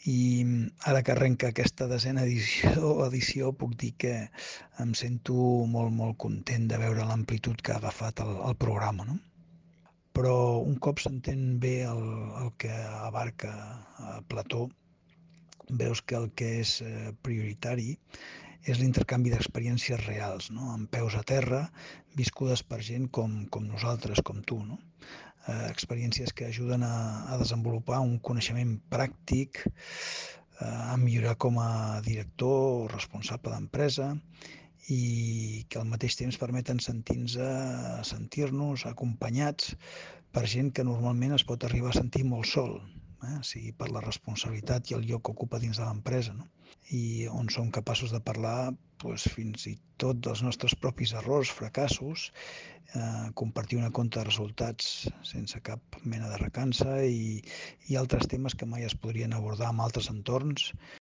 I ara que arrenca aquesta desena edició puc dir que em sento molt content de veure l'amplitud que ha agafat el programa, no? Però un cop s'entén bé el que abarca Plató, veus que el que és prioritari és l'intercanvi d'experiències reals, no? Amb peus a terra, viscudes per gent com nosaltres, com tu, no? Experiències que ajuden a desenvolupar un coneixement pràctic, a millorar com a director o responsable d'empresa i que al mateix temps permeten sentir-nos acompanyats per gent que normalment es pot arribar a sentir molt sol, sigui per la responsabilitat i el lloc que ocupa dins de l'empresa, no? I on som capaços de parlar fins i tot dels nostres propis errors, fracassos, compartir una compte de resultats sense cap mena de recança i altres temes que mai es podrien abordar en altres entorns